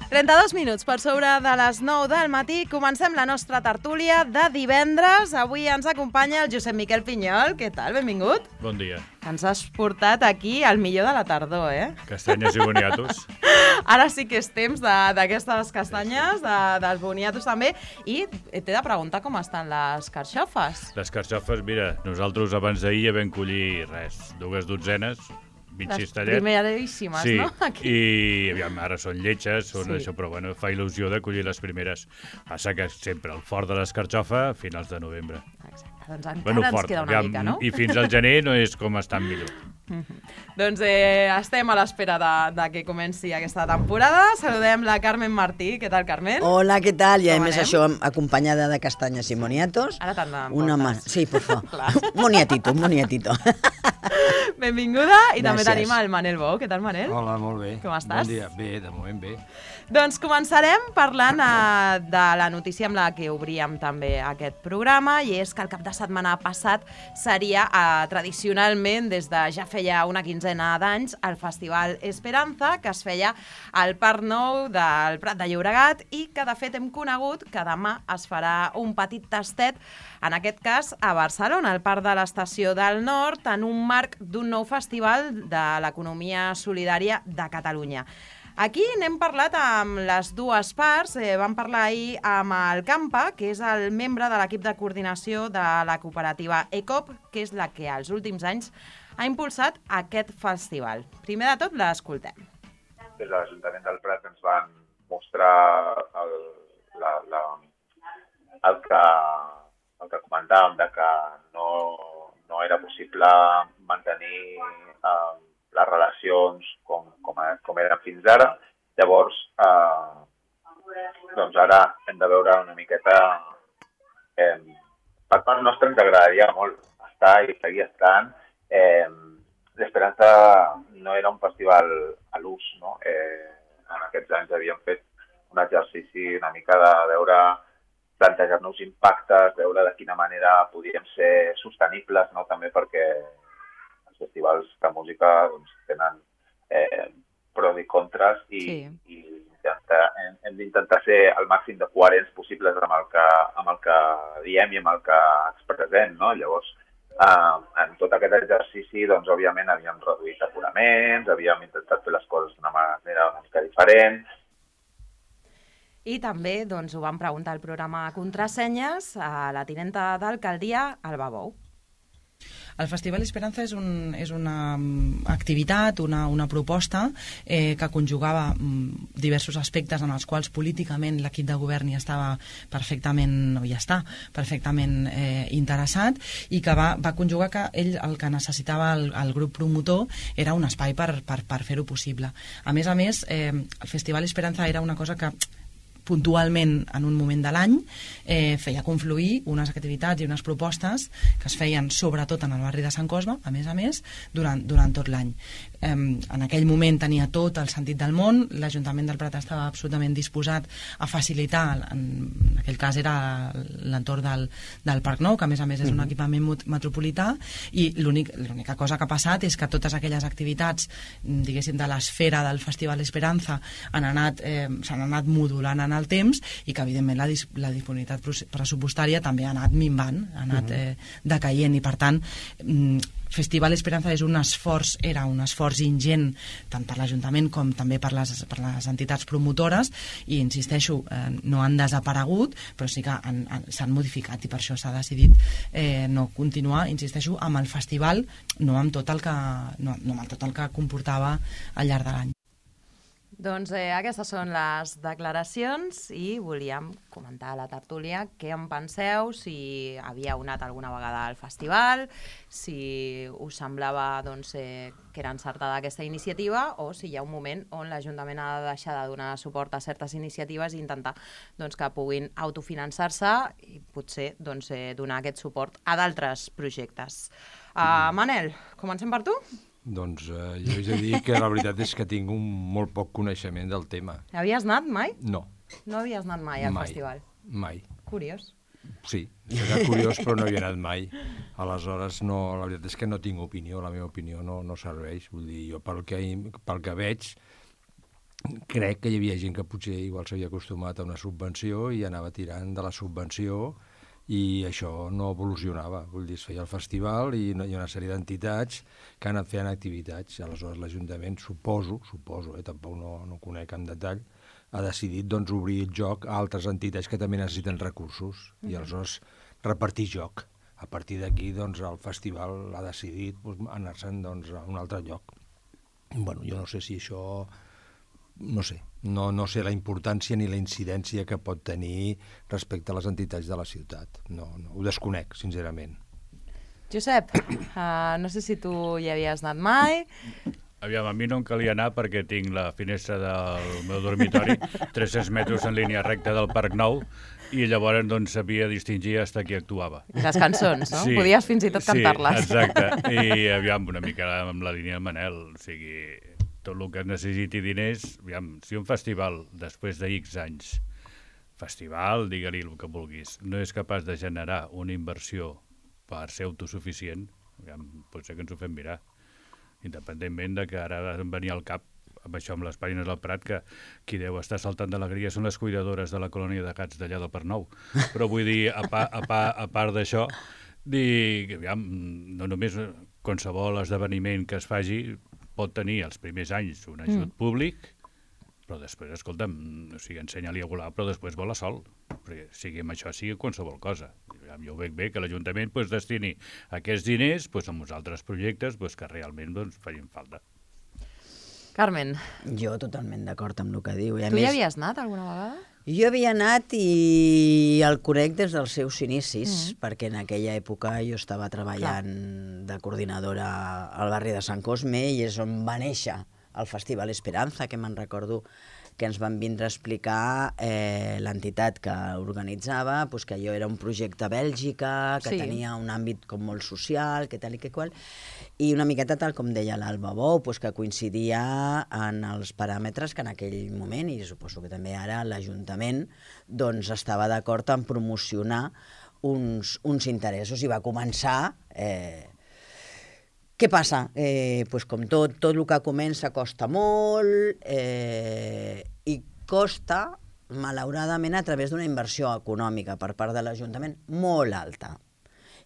32 minuts per sobre de les 9 del matí. Comencem la nostra tertúlia de divendres. Avui ens acompanya el Josep Miquel Pinyol. Què tal? Benvingut. Bon dia. Ens has portat aquí al millor de la tardor, eh? Castanyes i boniatos. Ara sí que és temps d'aquestes castanyes, dels boniatos també. I t'he de preguntar com estan les carxofes. Les carxofes, mira, nosaltres abans d'ahir ja vam collir 2 dotzenes, 26 tallets. Les primeríssimes, sí, no? Aquí. I aviam, ara són lletges, Sí. això, però bueno, fa il·lusió de collir les primeres. Passa que sempre el fort de l'escarxofa a finals de novembre. Exacte, doncs encara ens queda una mica, no? I fins al gener no és com estan millor. Doncs estem a l'espera de que comenci aquesta temporada. Saludem la Carmen Martí. Què tal, Carmen? Hola, què tal? I a Com més anem? això acompanyada de castanyes i moniatos. Ara te'n Una portes. Sí, por favor. Clar. Un moniatito. Benvinguda. I també Gràcies. tenim el Manel Bou. Què tal, Manel? Hola, molt bé. Com estàs? Bon dia. Bé, de moment bé. Doncs començarem parlant de la notícia amb la que obríem també aquest programa, i és que el cap de setmana passat seria tradicionalment, des de ja feia una quinzena d'anys, el Festival Esperanza, que es feia al Parc Nou del Prat de Llobregat i que de fet hem conegut que demà es farà un petit tastet, en aquest cas a Barcelona, al Parc de l'Estació del Nord, en un marc d'un nou festival de l'economia solidària de Catalunya. Aquí n'hem parlat amb les dues parts. Vam parlar ahir amb el Campa, que és el membre de l'equip de coordinació de la cooperativa ECOP, que és la que als últims anys ha impulsat aquest festival. Primer de tot, l'escoltem. Des de l'Ajuntament del Prat ens van mostrar el que comentàvem, de que no era possible mantenir les relacions com eren fins ara. Llavors, doncs ara hem de veure una miqueta... Per part nostra ens agradaria molt estar i seguir estant. L'Esperanza no era un festival a l'ús, no? En aquests anys havíem fet un exercici una mica de veure, plantejar-nos impactes, veure de quina manera podíem ser sostenibles, no? També perquè els festivals de música doncs, tenen pros i contres i hem d'intentar ser el màxim de coherents possibles amb el que diem i amb el que expressem, no? Llavors, en tot aquest exercici, doncs, òbviament, havíem reduït aforaments, havíem intentat fer les coses d'una manera una mica diferent. I també doncs, ho vam preguntar al programa Contrasenyes a la tinenta d'alcaldia, Alba Bou. El Festival Esperanza és una activitat, una proposta que conjugava diversos aspectes en els quals políticament l'equip de govern hi estava perfectament, o hi està perfectament interessat, i que va conjugar que ell el que necessitava el grup promotor era un espai per fer-ho possible. A més, el Festival Esperanza era una cosa que puntualment en un moment de l'any feia confluir unes activitats i unes propostes que es feien sobretot en el barri de Sant Cosme, a més, durant tot l'any. En aquell moment tenia tot el sentit del món, l'Ajuntament del Prat estava absolutament disposat a facilitar, en aquell cas era l'entorn del Parc Nou, que a més és un equipament metropolità, i l'única cosa que ha passat és que totes aquelles activitats, diguéssim, de l'esfera del Festival Esperanza s'han anat modulant en el temps, i que evidentment la disponibilitat pressupostària també ha anat minvant, ha anat decaient, i per tant Festival Esperanza era un esforç ingent tant per l'Ajuntament com també per les entitats promotores, i insisteixo, no han desaparegut, però sí que s'han modificat, i per això s'ha decidit no continuar, insisteixo, amb el festival, no amb tot el que comportava al llarg de l'any. Doncs aquestes són les declaracions, i volíem comentar a la tertúlia què en penseu, si havíeu anat alguna vegada al festival, si us semblava que era encertada aquesta iniciativa, o si hi ha un moment on l'Ajuntament ha de deixar de donar suport a certes iniciatives i intentar que puguin autofinançar-se i potser donar aquest suport a d'altres projectes. Manel, comencem per tu? Doncs jo he de dir que la veritat és que tinc molt poc coneixement del tema. Havies anat mai? No. No havies anat mai al festival? Mai. Curiós. Sí, era curiós, però no havia anat mai. Aleshores, la veritat és que no tinc opinió, la meva opinió no serveix. Vull dir, jo pel que veig, crec que hi havia gent que potser igual s'havia acostumat a una subvenció i anava tirant de la subvenció i això no evolucionava. Vull dir, es feia el festival i hi ha una sèrie d'entitats que han anat fent activitats. Aleshores l'Ajuntament, suposo, tampoc no conec en detall, ha decidit doncs, obrir el joc a altres entitats que també necessiten recursos i aleshores repartir joc. A partir d'aquí doncs, el festival ha decidit anar-se'n doncs, a un altre lloc. Bueno, jo no sé si això... No sé la importància ni la incidència que pot tenir respecte a les entitats de la ciutat. No, ho desconec, sincerament. Josep, no sé si tu hi havies anat mai. Aviam, a mi no em calia anar perquè tinc la finestra del meu dormitori 300 metres en línia recta del Parc Nou i llavors doncs sabia distingir fins qui actuava. Les cançons, no? Sí, Podies fins i tot cantar-les. Sí, exacte. I aviam, una mica amb la línia de Manel, o sigui... tot el que necessiti diners, aviam, si un festival, després de X anys, festival, digue-li el que vulguis, no és capaç de generar una inversió per ser autosuficient, aviam, potser que ens ho fem mirar. Independentment de que ara em venia al cap, amb això amb les pàgines del Prat, que qui deu estar saltant d'alegria són les cuidadores de la colònia de gats d'allà del Parc Nou. Però vull dir, a part d'això, aviam, no només qualsevol esdeveniment que es faci pot tenir els primers anys un ajut públic, però després, escolta'm, o sigui, ensenya-li a volar, però després vola sol. Perquè sigui amb això, sigui qualsevol cosa. Jo ho veig bé que l'Ajuntament destini aquests diners a uns altres projectes que realment facin falta. Carmen. Jo totalment d'acord amb el que diu. Tu hi havies anat alguna vegada? Jo havia anat i el conec des dels seus inicis, perquè en aquella època jo estava treballant de coordinadora al barri de Sant Cosme i és on va néixer el Festival Esperanza, que me'n recordo que ens van vindre a explicar l'entitat que organitzava, que allò era un projecte a Bèlgica, que tenia un àmbit com molt social, que tal i que qual, i una miqueta tal com deia l'Alba Bou, que coincidia en els paràmetres que en aquell moment, i suposo que també ara l'Ajuntament, doncs estava d'acord en promocionar uns interessos i va començar... Què passa? Com tot el que comença costa molt i costa, malauradament, a través d'una inversió econòmica per part de l'Ajuntament molt alta.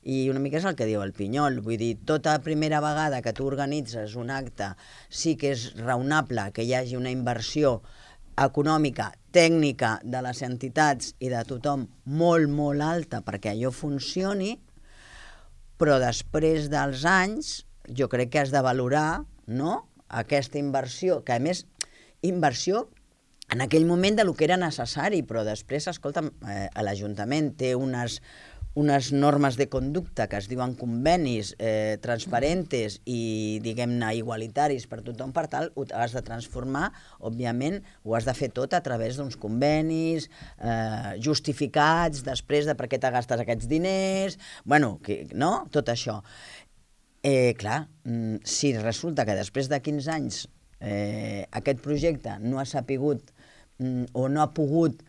I una mica és el que diu el Pinyol, vull dir, tota primera vegada que tu organitzes un acte sí que és raonable que hi hagi una inversió econòmica, tècnica de les entitats i de tothom molt, molt alta perquè allò funcioni, però després dels anys jo crec que has de valorar, no?, aquesta inversió, que a més, inversió en aquell moment de lo que era necessari, però després, escolta'm, l'Ajuntament té unes normes de conducta que es diuen convenis transparentes i, diguem-ne, igualitaris per tothom, per tal, ho has de transformar, òbviament, ho has de fer tot a través d'uns convenis justificats després de per què te gastes aquests diners, bueno, no?, tot això. Clar, si resulta que després de 15 anys aquest projecte no ha sapigut o no ha pogut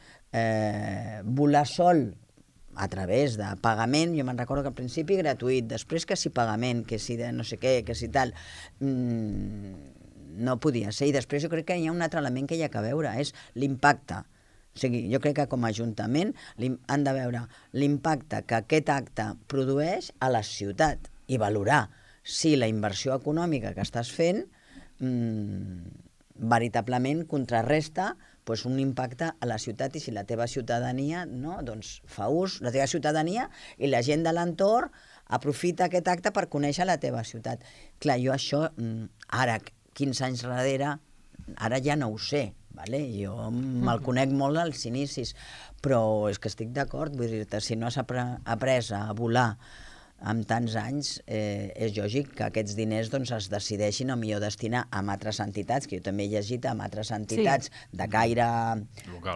volar sol a través de pagament, jo me'n recordo que al principi gratuït, després que si pagament, que si de no sé què, que si tal, no podia ser. I després jo crec que hi ha un altre element que hi ha que veure, és l'impacte. O sigui, jo crec que com a Ajuntament han de veure l'impacte que aquest acte produeix a la ciutat i valorar si la inversió econòmica que estàs fent veritablement contrarresta un impacte a la ciutat i si la teva ciutadania fa ús, la teva ciutadania i la gent de l'entorn aprofita aquest acte per conèixer la teva ciutat. Clar, jo això, ara, 15 anys darrere, ara ja no ho sé, jo me'l conec molt als inicis, però és que estic d'acord, vull dir-te, si no has après a volar amb tants anys, és lògic que aquests diners es decideixin o millor destinar a altres entitats, que jo també he llegit amb altres entitats de caire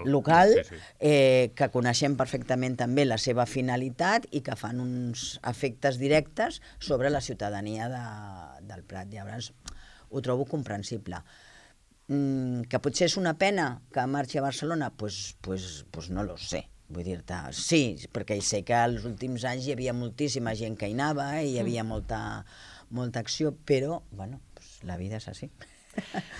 local, que coneixem perfectament també la seva finalitat i que fan uns efectes directes sobre la ciutadania del Prat. Llavors, ho trobo comprensible. Que potser és una pena que marxi a Barcelona? Pues no lo sé. Vull dir-te, sí, perquè sé que als últims anys hi havia moltíssima gent que hi anava i hi havia molta acció, però, bueno, la vida és així.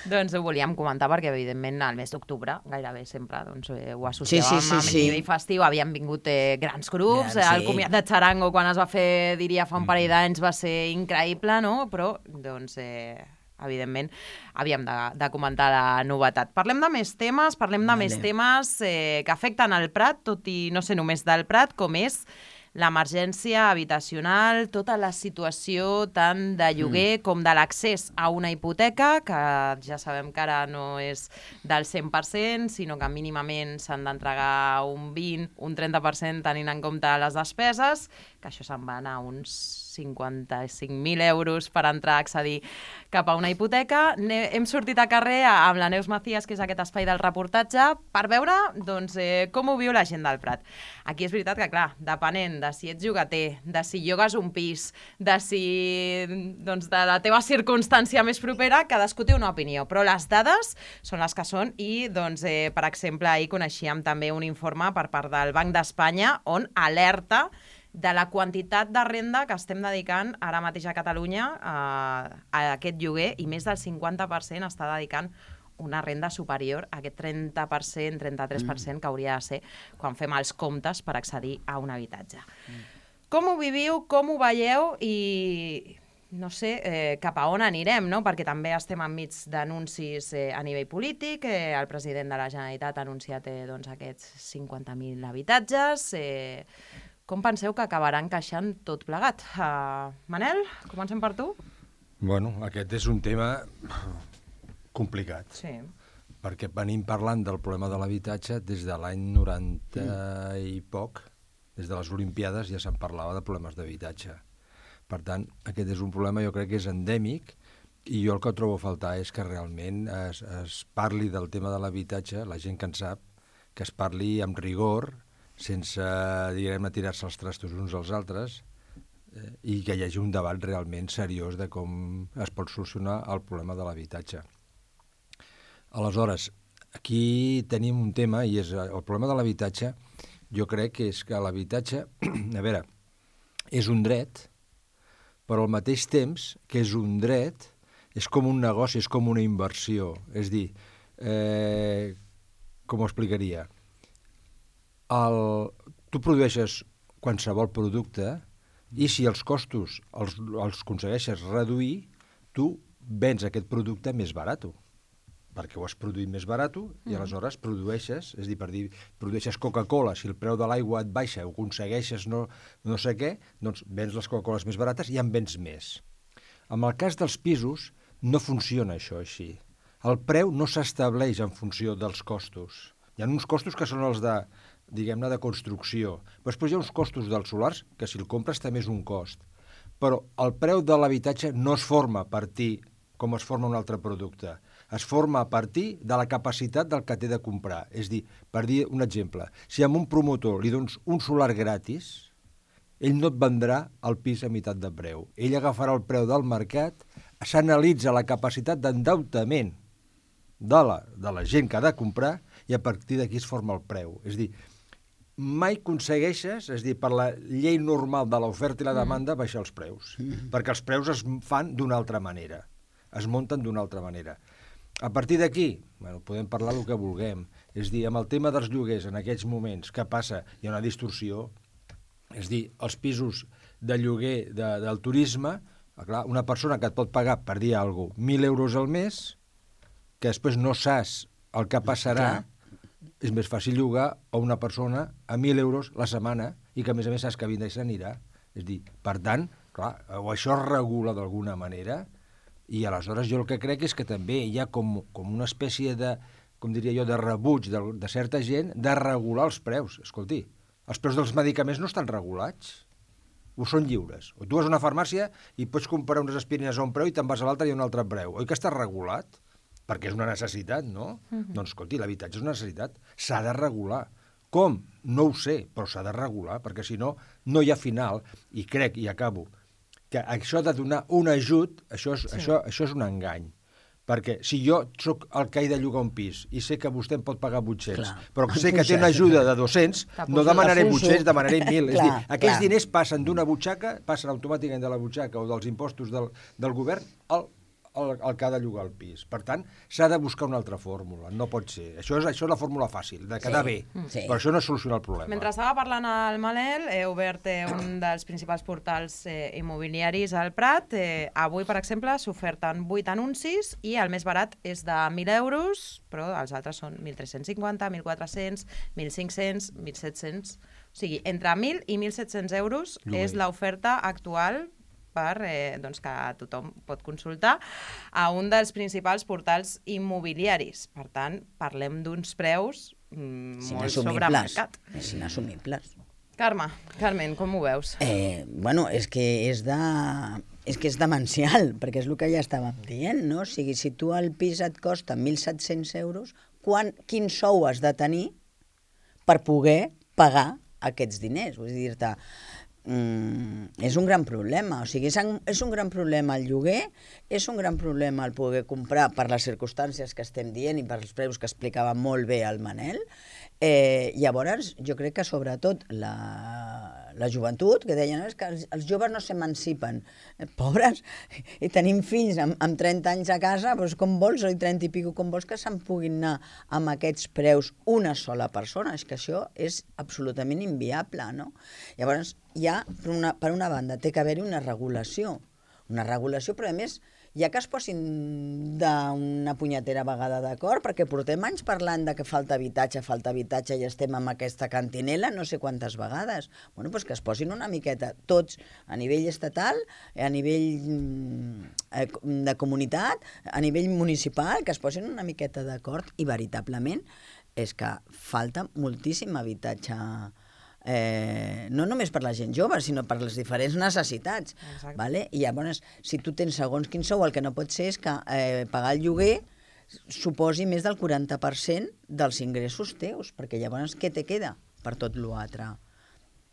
Doncs ho volíem comentar perquè, evidentment, al mes d'octubre, gairebé sempre, doncs, ho associàvem amb el nivell festiu. Havien vingut grans grups, el comiat de Charango, quan es va fer, diria, fa un parell d'anys, va ser increïble, no? Però, doncs, evidentment, havíem de comentar la novetat. Parlem de més temes, que afecten el Prat, tot i no ser només del Prat, com és l'emergència habitacional, tota la situació tant de lloguer com de l'accés a una hipoteca, que ja sabem que ara no és del 100%, sinó que mínimament s'han d'entregar un 20, un 30% tenint en compte les despeses, que això se'n van a uns 55.000 euros per entrar a accedir cap a una hipoteca. Hem sortit a carrer amb la Neus Macías, que és aquest espai del reportatge, per veure doncs, com ho viu la gent del Prat. Aquí és veritat que, clar, depenent de si ets llogater, de si llogues un pis, de si doncs, de la teva circumstància més propera, cadascú té una opinió, però les dades són les que són i, doncs, per exemple, ahir coneixíem també un informe per part del Banc d'Espanya on alerta de la quantitat de renda que estem dedicant ara mateix a Catalunya a aquest lloguer, i més del 50% està dedicant una renda superior a aquest 30%, 33% que hauria de ser quan fem els comptes per accedir a un habitatge. Com ho viviu, com ho veieu i no sé cap a on anirem, no? Perquè també estem enmig d'anuncis a nivell polític. El president de la Generalitat ha anunciat doncs, aquests 50.000 habitatges. Com penseu que acabarà encaixant tot plegat? Manel, comencem per tu? Bueno, aquest és un tema complicat. Sí. Perquè venim parlant del problema de l'habitatge des de l'any 90 i poc. Des de les Olimpiades ja se'n parlava de problemes d'habitatge. Per tant, aquest és un problema, jo crec que és endèmic, i jo el que trobo a faltar és que realment es parli del tema de l'habitatge, la gent que en sap, que es parli amb rigor, sense, diguem-ne, tirar-se els trastos uns als altres, i que hi hagi un debat realment seriós de com es pot solucionar el problema de l'habitatge. Aleshores, aquí tenim un tema, i és el problema de l'habitatge. Jo crec que és que l'habitatge, a veure, és un dret, però al mateix temps que és un dret, és com un negoci, és com una inversió. És dir, com ho explicaria? Tu produeixes qualsevol producte i si els costos els aconsegueixes reduir, tu vens aquest producte més barat, perquè ho has produït més barat i aleshores produeixes, és a dir, per dir, produeixes Coca-Cola, si el preu de l'aigua et baixa o aconsegueixes no sé què, doncs vens les Coca-Coles més barates i en vens més. En el cas dels pisos no funciona això així. El preu no s'estableix en funció dels costos. Hi ha uns costos que són els de, diguem-ne, de construcció. Però després hi ha uns costos dels solars, que si el compres també és un cost. Però el preu de l'habitatge no es forma a partir com es forma un altre producte. Es forma a partir de la capacitat del que té de comprar. És dir, per dir un exemple, si a un promotor li dones un solar gratis, ell no et vendrà el pis a meitat de preu. Ell agafarà el preu del mercat, s'analitza la capacitat d'endeutament de la gent que ha de comprar i a partir d'aquí es forma el preu. És dir, mai aconsegueixes, és dir, per la llei normal de l'oferta i la demanda, baixar els preus. Perquè els preus es fan d'una altra manera. Es munten d'una altra manera. A partir d'aquí, podem parlar el que vulguem. És dir, amb el tema dels lloguers en aquests moments, què passa? Hi ha una distorsió. És dir, els pisos de lloguer del turisme, clar, una persona que et pot pagar, per dir alguna cosa, 1.000 euros al mes, que després no saps el que passarà, és més fàcil llogar a una persona a 1.000 euros la setmana i que, a més saps que vindrà i s'anirà. És dir, per tant, clar, o això es regula d'alguna manera i aleshores jo el que crec és que també hi ha com una espècie de, com diria jo, de rebuig de certa gent de regular els preus. Escolti, els preus dels medicaments no estan regulats, o són lliures. O tu vas a una farmàcia i pots comprar unes aspirines a un preu i te'n vas a l'altre i a un altre preu. Oi que està regulat? Perquè és una necessitat, no? Doncs, escolti, l'habitatge és una necessitat. S'ha de regular. Com? No ho sé, però s'ha de regular, perquè si no, no hi ha final. I crec, i acabo, que això de donar un ajut, això és un engany. Perquè si jo sóc el que he de llogar un pis i sé que vostè em pot pagar 800, però sé que té una ajuda de 200, no demanaré 800, demanaré 1.000. És dir, aquells diners passen d'una butxaca, passen automàticament de la butxaca o dels impostos del govern el que ha de llogar el pis. Per tant, s'ha de buscar una altra fórmula, no pot ser. Això és la fórmula fàcil, de quedar bé. Sí. Però això no soluciona el problema. Mentre estava parlant al Manel, he obert un dels principals portals immobiliaris al Prat. Avui, per exemple, s'oferten 8 anuncis i el més barat és de 1.000 euros, però els altres són 1.350, 1.400, 1.500, 1.700... O sigui, entre 1.000 i 1.700 euros és l'oferta actual doncs que tothom pot consultar a un dels principals portals immobiliaris. Per tant, parlem d'uns preus molt sobre mercat. És inassumibles. Carmen, com ho veus? Bueno, és que és demencial, perquè és el que ja estàvem dient, no? O sigui, si tu el pis et costa 1.700 euros, quin sou has de tenir per poder pagar aquests diners? Vull dir-te, és un gran problema. O sigui, és un gran problema el lloguer, és un gran problema el poder comprar per les circumstàncies que estem dient i per els preus que explicava molt bé el Manel. Llavors, jo crec que sobretot la joventut, que deien que els joves no s'emancipen, pobres, i tenim fills amb 30 anys a casa, doncs com vols, o 30 i pico, com vols que se'n puguin anar amb aquests preus una sola persona? És que això és absolutament inviable, no? Llavors, ja, per una banda, té que haver-hi una regulació, però a més, ja que es posin d'una punyetera vegada d'acord, perquè portem anys parlant de que falta habitatge i estem amb aquesta cantinela no sé quantes vegades. Bueno, doncs que es posin una miqueta tots a nivell estatal, a nivell de comunitat, a nivell municipal, que es posin una miqueta d'acord i veritablement és que falta moltíssim habitatge, no només per la gent jove, sinó per les diferents necessitats. Vale? I llavors, si tu tens segons quin sou, el que no pot ser és que pagar el lloguer suposi més del 40% dels ingressos teus, perquè llavors què te queda per tot l'altre?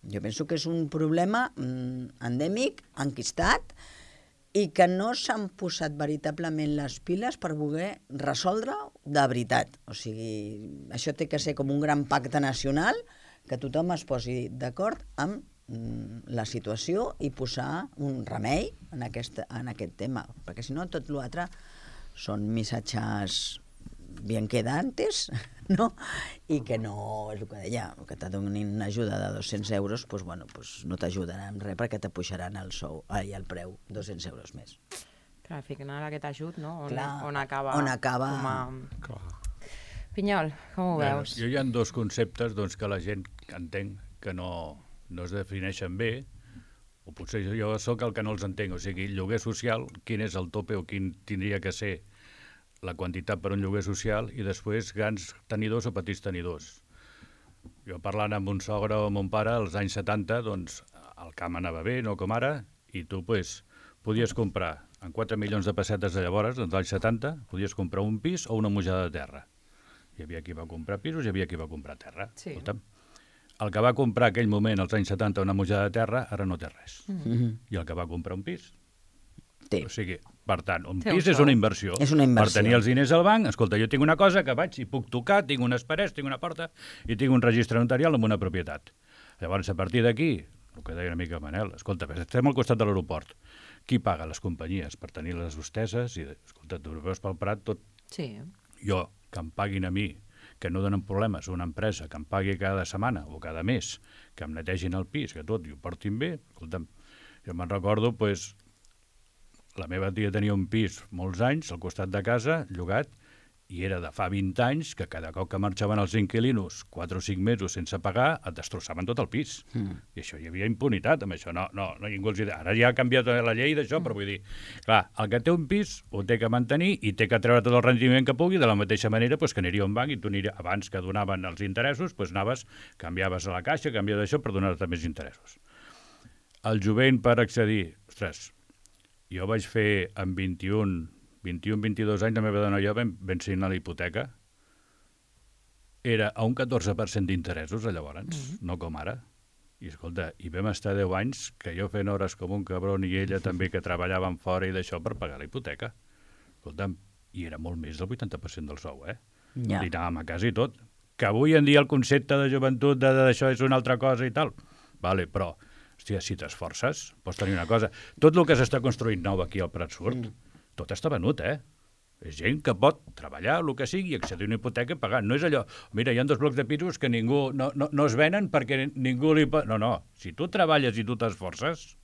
Jo penso que és un problema endèmic, enquistat, i que no s'han posat veritablement les piles per voler resoldre-ho de veritat. O sigui, això té que ser com un gran pacte nacional, que tothom es posi d'acord amb la situació i posar un remei en aquest tema, perquè si no tot l'altre són missatges bien quedantes, no? I que no, és el que deia, que te donin una ajuda de 200 euros, doncs, bueno, doncs no t'ajudaran res perquè te pujaran el sou i el preu 200 euros més. Clar, al final aquest ajut, no? Clar, on acaba? Clar. Pinyol, com ho veus? Jo hi ha dos conceptes que la gent entenc que no es defineixen bé, o potser jo sóc el que no els entenc. O sigui, lloguer social, quin és el tope o quin tindria que ser la quantitat per un lloguer social, i després grans tenidors o petits tenidors. Jo parlant amb un sogre o amb un pare, als anys 70, doncs, el camp anava bé, no com ara, i tu podies comprar, amb 4 milions de pessetes de llavors, doncs als anys 70, podies comprar un pis o una mujada de terra. Hi havia qui va comprar pisos, hi havia qui va comprar terra. Sí. El que va comprar aquell moment, als anys 70, una mujada de terra, ara no té res. I el que va comprar un pis té. O sigui, per tant, un pis és una inversió. És una inversió. Per tenir els diners al banc, escolta, jo tinc una cosa que vaig i puc tocar, tinc unes parets, tinc una porta i tinc un registre notarial amb una propietat. Llavors, a partir d'aquí, el que deia una mica Manel, escolta, estem al costat de l'aeroport. Qui paga? Les companyies per tenir les hosteses i, escolta, tu veus pel Prat tot. Sí. Jo, que em paguin a mi, que no donen problemes, una empresa que em pagui cada setmana o cada mes, que em netegin el pis, que tot, i ho portin bé, escolta'm, jo me'n recordo, doncs, la meva tia tenia un pis molts anys al costat de casa, llogat, i era de fa 20 anys que cada cop que marxaven els inquilinos 4 o 5 mesos sense pagar, et destrossaven tot el pis. I això hi havia impunitat, amb això. No, ningú els deia. Ara ja ha canviat la llei d'això, però vull dir, clar, el que té un pis ho té que mantenir i té que treure tot el rendiment que pugui, de la mateixa manera que aniria a un banc i tu abans que donaven els interessos, anaves, canviaves a la caixa, canviaves això per donar-te més interessos. El jovent per accedir, ostres, jo vaig fer amb 22 anys, la meva dona i jo vam signar la hipoteca. Era a un 14% d'interessos, llavors, no com ara. I escolta, i vam estar 10 anys que jo fent hores com un cabron i ella també que treballaven fora i d'això per pagar la hipoteca. Escolta'm, i era molt més del 80% del sou, Ja. I anàvem a casa i tot. Que avui en dia el concepte de joventut d'això és una altra cosa i tal. Vale, però, hòstia, si t'esforces, pots tenir una cosa. Tot el que s'està construint nou aquí al Prat Surt, tot està venut, És gent que pot treballar, el que sigui, accedir a una hipoteca i pagar. No és allò, mira, hi ha 2 blocs de pisos que ningú no es venen perquè ningú li pot... No, si tu treballes i tu t'esforces...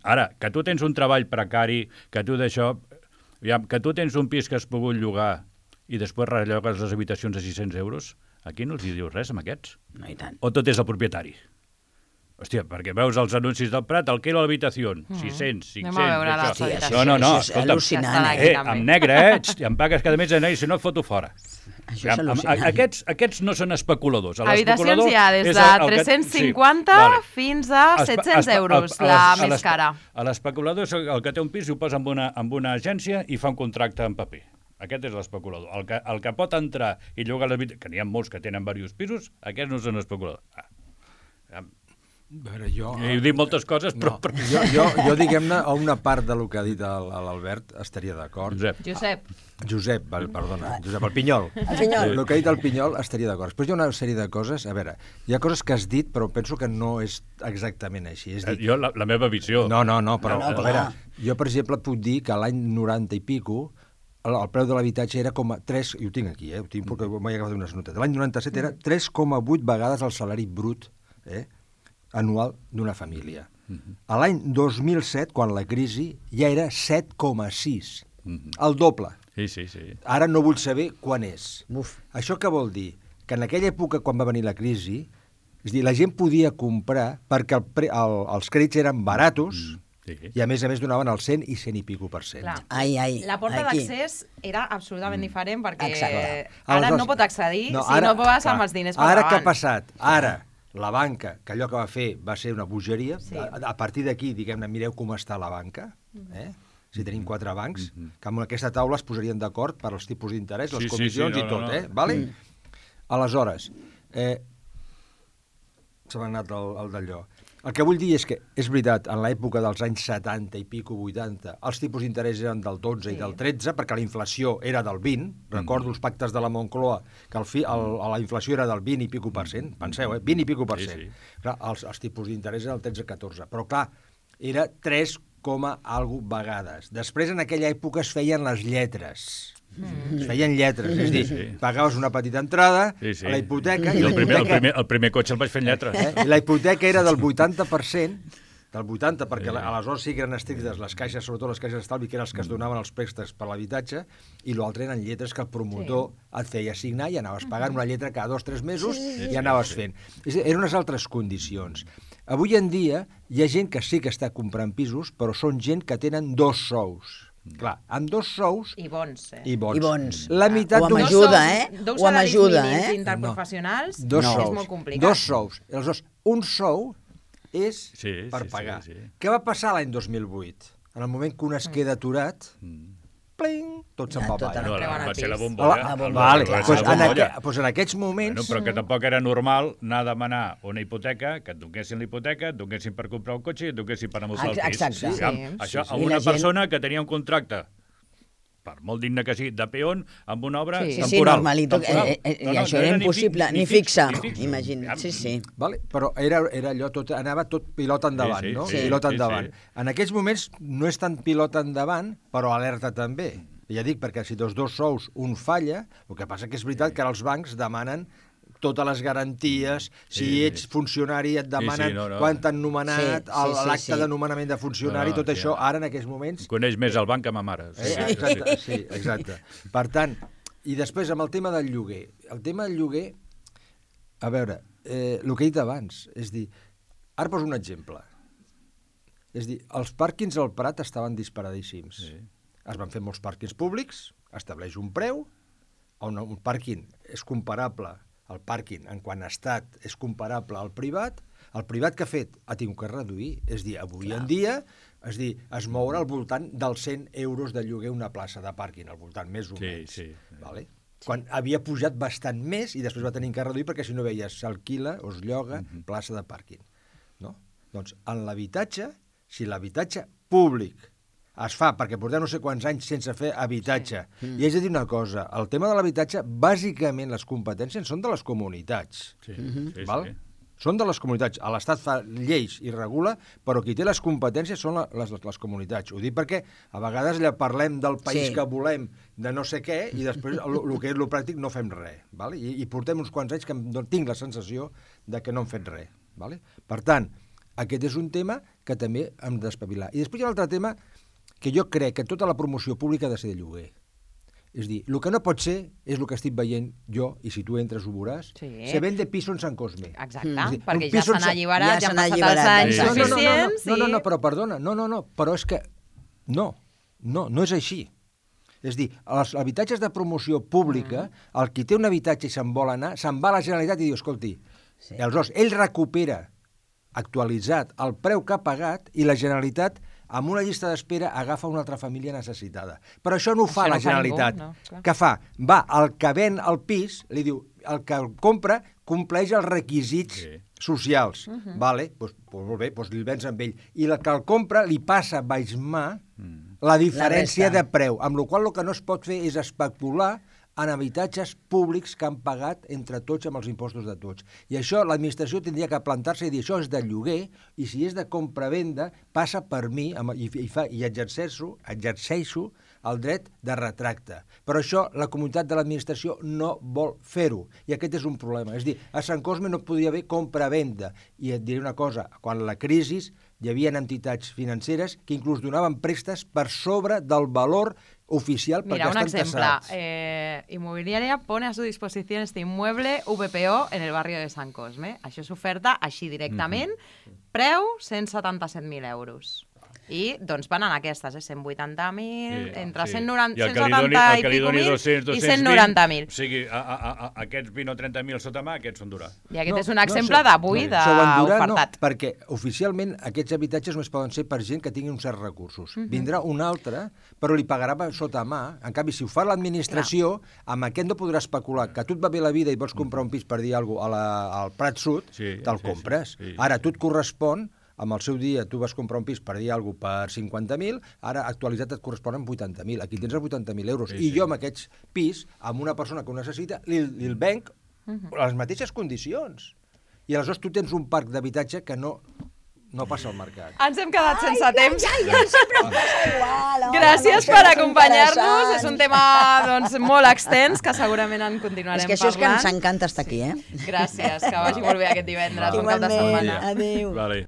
Ara, que tu tens un treball precari, que tu d'això... Que tu tens un pis que has pogut llogar i després rellogues les habitacions a 600 euros, aquí no els hi dius res, amb aquests? No, i tant. O tot és el propietari? Hòstia, perquè veus els anuncis del Prat, el que era l'habitació, 600, 500... Anem a veure les habitacions. No, Això és escolta'm, al·lucinant, en negre, em pagues cada mes, i si no et foto fora. Això és al·lucinant. Aquests no són especuladors. Habitacions hi ha des de 350 fins a 700 euros, la més cara. L'especulador és el que té un pis i ho posa amb una agència i fa un contracte en paper. Aquest és l'especulador. El que pot entrar i llogar l'habitació, que n'hi ha molts que tenen diversos pisos, aquests no són especuladors. A veure, jo... He dit moltes coses, però... Jo diguem-ne, a una part del que ha dit l'Albert estaria d'acord. Josep, perdona, Josep, el Pinyol. El Pinyol. El que ha dit el Pinyol estaria d'acord. Després hi ha una sèrie de coses... A veure, hi ha coses que has dit, però penso que no és exactament així. És dir... Jo, la meva visió... No, però a veure, jo, per exemple, puc dir que l'any 90 i pico el preu de l'habitatge era com a 3... I ho tinc aquí, ho tinc perquè m'he agafat unes notes. L'any 97 era 3,8 vegades el salari brut, anual d'una família. A l'any 2007, quan la crisi, ja era 7,6. El doble. Sí. Ara no vull saber quan és. Uf. Això què vol dir? Que en aquella època, quan va venir la crisi, és dir, la gent podia comprar perquè els crèdits eren baratos i a més donaven el 100 i 100 i pico %. Clar. La porta d'accés era absolutament diferent perquè Exacte. ara no pot accedir si no vas amb els diners per Ara davant. què ha passat? Ara la banca, que allò que va fer va ser una bogeria, a partir d'aquí, diguem-ne, mireu com està la banca, si tenim 4 bancs, que amb aquesta taula es posarien d'acord per als tipus d'interès, les comissions i tot, vale? Aleshores, se m'ha anat el d'allò. El que vull dir és que, és veritat, en l'època dels anys 70 i pico, 80, els tipus d'interès eren del 12 i del 13, perquè la inflació era del 20. Recordo els pactes de la Moncloa, que la inflació era del 20 i pico %. Penseu, 20 i pico %. Clar, els tipus d'interès eren del 13-14. Però, clar, era 3, alguna vegades. Després, en aquella època, es feien les lletres. Es feien lletres, és dir, pagaves una petita entrada a la hipoteca... I el primer cotxe el vaig fer en lletres. I la hipoteca era del 80%, perquè aleshores sí que eren estrictes les caixes, sobretot les caixes d'estalvi, que eren els que es donaven els préstecs per l'habitatge, i l'altre eren lletres que el promotor et feia signar i anaves pagant una lletra cada 2 o 3 mesos i anaves fent. Eren unes altres condicions. Avui en dia hi ha gent que sí que està comprant pisos, però són gent que tenen 2 sous. Clar, amb 2 sous... I bons, I bons. La meitat o amb ajuda, Dos salaris mínims interprofessionals és molt complicat. 2 sous. Aleshores, un sou és per pagar. Què va passar l'any 2008? En el moment que un es queda aturat, pling, tot se'n va avall. Va ser la bombolla. Doncs en aquests moments... Però que tampoc era normal anar a demanar una hipoteca, que et donessin la hipoteca, et donessin per comprar un cotxe i et donessin per amossar el pis. Exacte. Això a una persona que tenia un contracte, per molt digne que sigui, de peón, amb una obra temporal. Sí, normalito. I això era impossible, ni fixa, imagina't. Sí. Però era allò, anava tot pilot endavant, no? Pilot endavant. En aquests moments no és tant pilot endavant, però alerta també. Ja dic, perquè si dels 2 sous un falla, el que passa que és veritat que els bancs demanen totes les garanties, si ets funcionari et demanen quan t'han nomenat, l'acte de nomenament de funcionari, tot això, ara en aquests moments... Coneix més el banc que ma mare. Exacte. Per tant, i després amb el tema del lloguer. El tema del lloguer, a veure, el que he dit abans, és dir, ara poso un exemple. És dir, els pàrquings al Prat estaven disparadíssims. Es van fer molts pàrquings públics, estableix un preu, on un pàrquing és comparable, el pàrquing en quant a estat és comparable al privat que ha fet ha tingut que reduir, és dir, avui en dia es moure al voltant dels 100 euros de lloguer una plaça de pàrquing, al voltant més o menys. Vale? Quan havia pujat bastant més i després va tenir que reduir perquè si no veies s'alquila o es lloga plaça de pàrquing. No? Doncs en l'habitatge, si l'habitatge públic es fa, perquè portem no sé quants anys sense fer habitatge. I haig de dir una cosa, el tema de l'habitatge, bàsicament les competències són de les comunitats. són de les comunitats. L'Estat fa lleis i regula, però qui té les competències són les comunitats. Ho dic perquè a vegades parlem del país que volem, de no sé què, i després el que és el pràctic no fem res. Vale? I portem uns quants anys que tinc la sensació de que no hem fet res. Vale? Per tant, aquest és un tema que també hem d'espavilar. I després hi ha un altre tema que jo crec que tota la promoció pública ha de ser de lloguer. És dir, el que no pot ser és el que estic veient jo, i si tu entres ho veuràs, se vende piso en Sant Cosme. Exacte, perquè ja s'han alliberat, ja han passat els anys suficients. No, però perdona, però és que no és així. És dir, els habitatges de promoció pública, el qui té un habitatge i se'n vol anar, se'n va a la Generalitat i diu, escolti, aleshores ell recupera actualitzat el preu que ha pagat i la Generalitat amb una llista d'espera agafa una altra família necessitada. Però això no ho fa la Generalitat. Què fa? Va, el que ven el pis, li diu, el que el compra compleix els requisits socials. Vale? Doncs molt bé, li vens amb ell. I el que el compra li passa baix mà la diferència de preu, amb la qual cosa el que no es pot fer és especular en habitatges públics que han pagat entre tots amb els impostos de tots. I això l'administració tindria que plantar-se i dir això és de lloguer i si és de compra-venda passa per mi i exerceixo el dret de retracte. Però això la comunitat de l'administració no vol fer-ho i aquest és un problema. És a dir, a Sant Cosme no podia haver compra-venda. I et diré una cosa, quan la crisi hi havia entitats financeres que inclús donaven préstecs per sobre del valor oficial perquè estan tassats. Mira, un ejemplo. Inmobiliaria pone a su disposición este inmueble VPO en el barrio de Sant Cosme. Això s'oferta així directament, preu 177.000 euros. I doncs van en aquestes, 180.000, entre 170 i pico mil i 190.000. O sigui, aquests 20 o 30.000 sota mà, aquests són d'Urà. I aquest és un exemple d'avui d'ofertat. No, perquè oficialment aquests habitatges només poden ser per gent que tingui uns certs recursos. Vindrà un altre, però li pagarà sota mà. En canvi, si ho fa l'administració, amb aquest no podrà especular. Que a tu et va bé la vida i vols comprar un pis per dir alguna cosa al Prat Sud, te'l compres. Ara, a tu et correspon amb el seu dia tu vas comprar un pis per dir alguna cosa per 50.000, ara actualitzat et corresponen 80.000. Aquí tens els 80.000 euros. I jo amb aquests pis, amb una persona que ho necessita, li venc a les mateixes condicions. I aleshores tu tens un parc d'habitatge que no passa al mercat. Ens hem quedat sense temps. Sempre em passa igual. Gràcies per acompanyar-nos. És un tema molt extens que segurament en continuarem parlant. És que això és que ens encanta estar aquí, Gràcies, que vagi molt bé aquest divendres, un cap de setmana. Adéu. Vale.